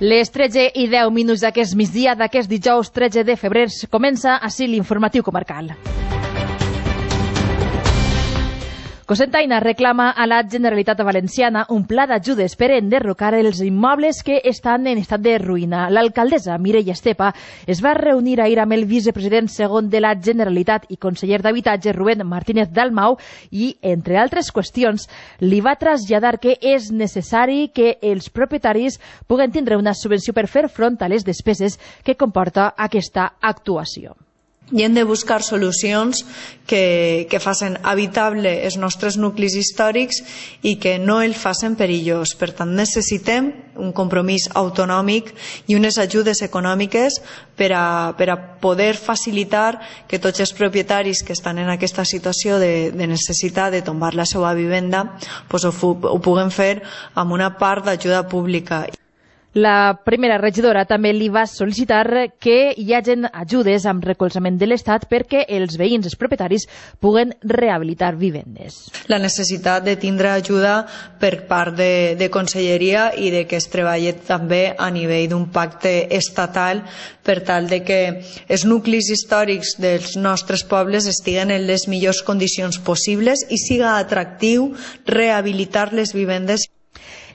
Les 13:10 d'aquest migdia d'aquest dijous 13 de febrer comença així l'informatiu comarcal. Cocentaina reclama a la Generalitat Valenciana un pla d'ajudes per enderrocar els immobles que estan en estat de ruïna. L'alcaldessa Mireia Estepa es va reunir ahir amb el vicepresident segon de la Generalitat i conseller d'Habitatge Rubén Martínez Dalmau i, entre altres qüestions, li va traslladar que és necessari que els propietaris puguen tindre una subvenció per fer front a les despeses que comporta aquesta actuació. I hem de buscar solucions que facin habitable els nostres nuclis històrics i que no el facin perillós. Per tant, necessitem un compromís autonòmic i unes ajudes econòmiques per a poder facilitar que tots els propietaris que estan en aquesta situació de necessitat de tombar la seva vivenda ho puguen fer amb una part d'ajuda pública. La primera regidora també li va sol·licitar que hi hagin ajudes amb recolzament de l'Estat perquè els veïns, els propietaris, puguen rehabilitar vivendes. La necessitat de tindre ajuda per part de Conselleria i de que es treballi també a nivell d'un pacte estatal per tal de que els nuclis històrics dels nostres pobles estiguen en les millors condicions possibles i siga atractiu rehabilitar les vivendes.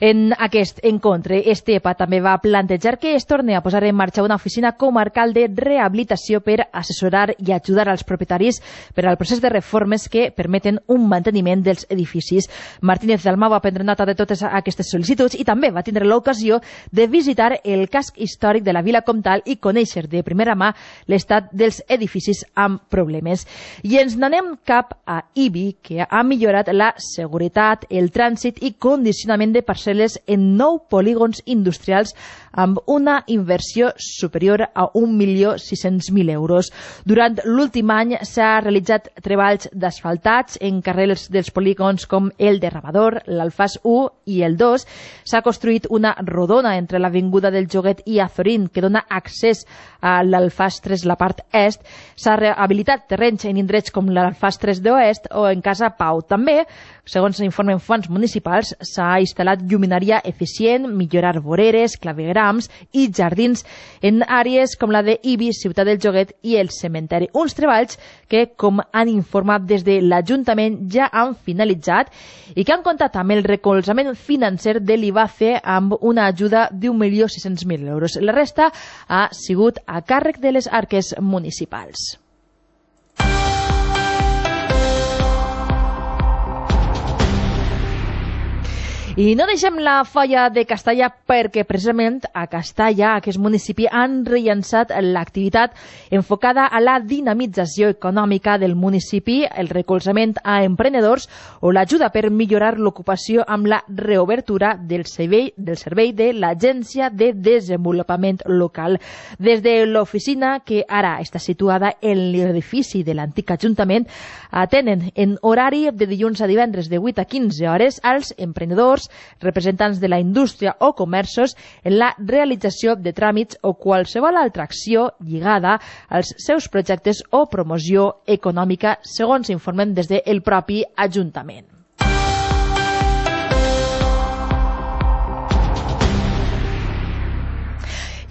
En aquest encontre, Estepa també va plantejar que es torni a posar en marxa una oficina comarcal de rehabilitació per assessorar i ajudar als propietaris per al procés de reformes que permeten un manteniment dels edificis. Martínez Dalmau va prendre nota de totes aquestes sol·licituds i també va tindre l'ocasió de visitar el casc històric de la Vila Comtal i conèixer de primera mà l'estat dels edificis amb problemes. I ens n'anem cap a Ibi, que ha millorat la seguretat, el trànsit i condicionament de parcel·les en 9 polígons industrials amb una inversió superior a 1.600.000 euros. Durant l'últim any s'ha realitzat treballs d'asfaltats en carrers dels polígons com el de Rabador, l'Alfàs 1 i el 2. S'ha construït una rodona entre l'Avinguda del Joguet i Azorín que dona accés a l'Alfàs 3, la part est. S'ha rehabilitat terrenys en indrets com l'Alfàs 3 d'Oest o en Casa Pau. També, segons informen fonts municipals, s'ha instal·lat lluminària eficient, millorar voreres, clavegrams i jardins en àrees com la de Ibi, Ciutat del Joguet i el cementeri. Uns treballs que, com han informat des de l'Ajuntament, ja han finalitzat i que han comptat amb el recolzament financer de l'IBACE amb una ajuda d'1.600.000 euros. La resta ha sigut a càrrec de les arques municipals. I no deixem la Foia de Castalla perquè precisament a Castalla, aquest municipi, han rellançat l'activitat enfocada a la dinamització econòmica del municipi, el recolzament a emprenedors o l'ajuda per millorar l'ocupació amb la reobertura del servei de l'Agència de Desenvolupament Local. Des de l'oficina, que ara està situada en l'edifici de l'antic Ajuntament, atenen en horari de dilluns a divendres de 8 a 15 hores als emprenedors, representants de la indústria o comerços en la realització de tràmits o qualsevol altra acció lligada als seus projectes o promoció econòmica, segons informen des del propi Ajuntament.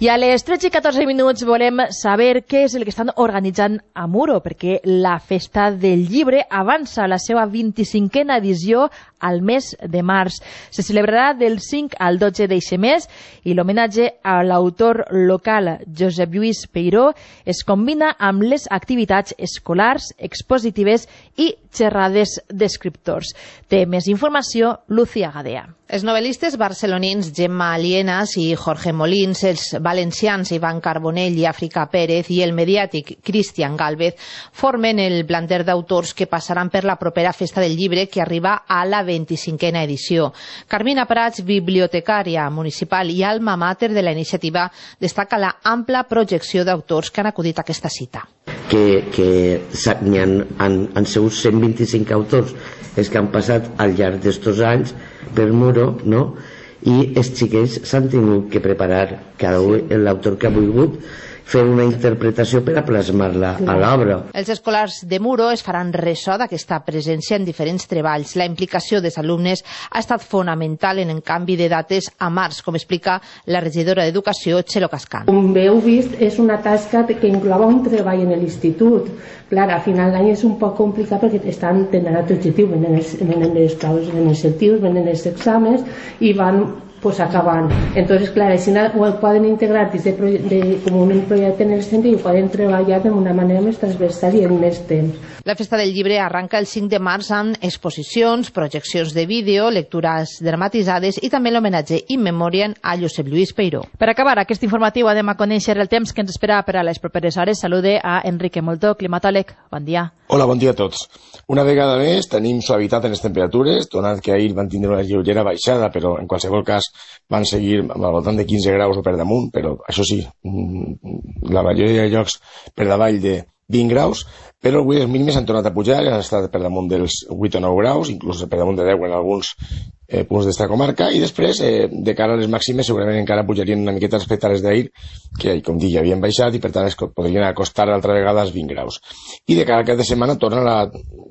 I a les 13:14 volem saber què és el que estan organitzant a Muro, perquè la Festa del Llibre avança la seva 25a edició al mes de març. Se celebrarà del 5 al 12 d'eixe mes i l'homenatge a l'autor local Josep Lluís Peiró es combina amb les activitats escolars, expositives i xerrades d'escriptors. Té més informació Lucía Gadea. Els novel·listes barcelonins Gemma Alienas i Jorge Molins, els valencians Ivan Carbonell i Àfrica Pérez i el mediàtic Cristian Gálvez formen el planter d'autors que passaran per la propera Festa del Llibre, que arriba a la 25a edició. Carmina Prats, bibliotecària municipal i alma mater de la iniciativa, destaca la ampla projecció d'autors que han acudit a aquesta cita. Que han sigut 125 autors els que han passat al llarg d'estos anys per Muro, i els xiquets s'han tingut que preparar, cada un l'autor que ha volgut, fer una interpretació per a plasmar-la a l'obra. Els escolars de Muro es faran ressò d'aquesta presència en diferents treballs. La implicació dels alumnes ha estat fonamental en el canvi de dates a març, com explica la regidora d'Educació, Txelo Cascan. Com heu vist, és una tasca que inclou un treball en l'institut. Clar, a final d'any és un poc complicat perquè estan tenen altre objectiu, venen les proves, venen els lectius, venen els exàmens i van acabant. Entonces, clar, així ho poden integrar com un projecte en el centre i ho poden treballar d'una manera més transversal i en més temps. La Festa del Llibre arranca el 5 de març amb exposicions, projeccions de vídeo, lectures dramatitzades i també l'homenatge in memoriam a Josep Lluís Peiró. Per acabar aquest informatiu anem a conèixer el temps que ens espera per a les properes hores. Salude a Enrique Moltó, climatòleg. Bon dia. Hola, bon dia a tots. Una vegada més tenim suavitat en les temperatures, donat que ahir van tindre una lleugera baixada, però en qualsevol cas van seguir al voltant de 15 graus o per damunt, però això sí, la majoria de llocs per davall de 20 graus, però avui les mínimes han tornat a pujar, han estat per damunt dels 8 o 9 graus, inclús per damunt de 10 en alguns punts d'esta comarca, i després, de cara a les màximes, segurament encara pujarien una miqueta respecte a les d'ahir, que, com dic, havien baixat i per tant es podrien acostar altra vegada als 20 graus. I de cara a aquesta setmana torna la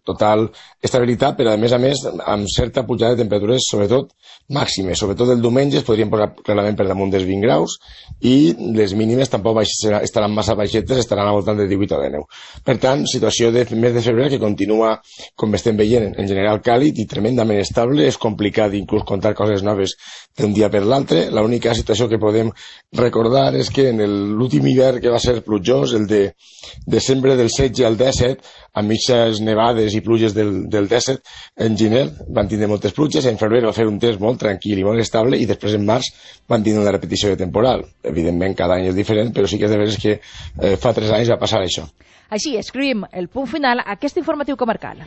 total estabilitat, però a més amb certa pujada de temperatures, sobretot màximes, sobretot el diumenge es podrien posar clarament per damunt dels 20 graus i les mínimes tampoc estaran massa baixetes, estaran al voltant de 18 o 19. Per tant, situació de mes de febrer que continua, com estem veient, en general càlid i tremendament estable. És complicat inclús contar coses noves d'un dia per l'altre. L'única situació que podem recordar és que en l'últim hivern que va ser plujós, el de desembre del 16 al 17, amb mitges nevades i pluges del 17, en gener van tindre moltes pluges, en febrer va fer un temps molt tranquil i molt estable i després en març van tindre una repetició de temporal. Evidentment cada any és diferent, però sí que és de veres que fa 3 anys va passar això. Així escrivim el punt final a aquest informatiu comarcal.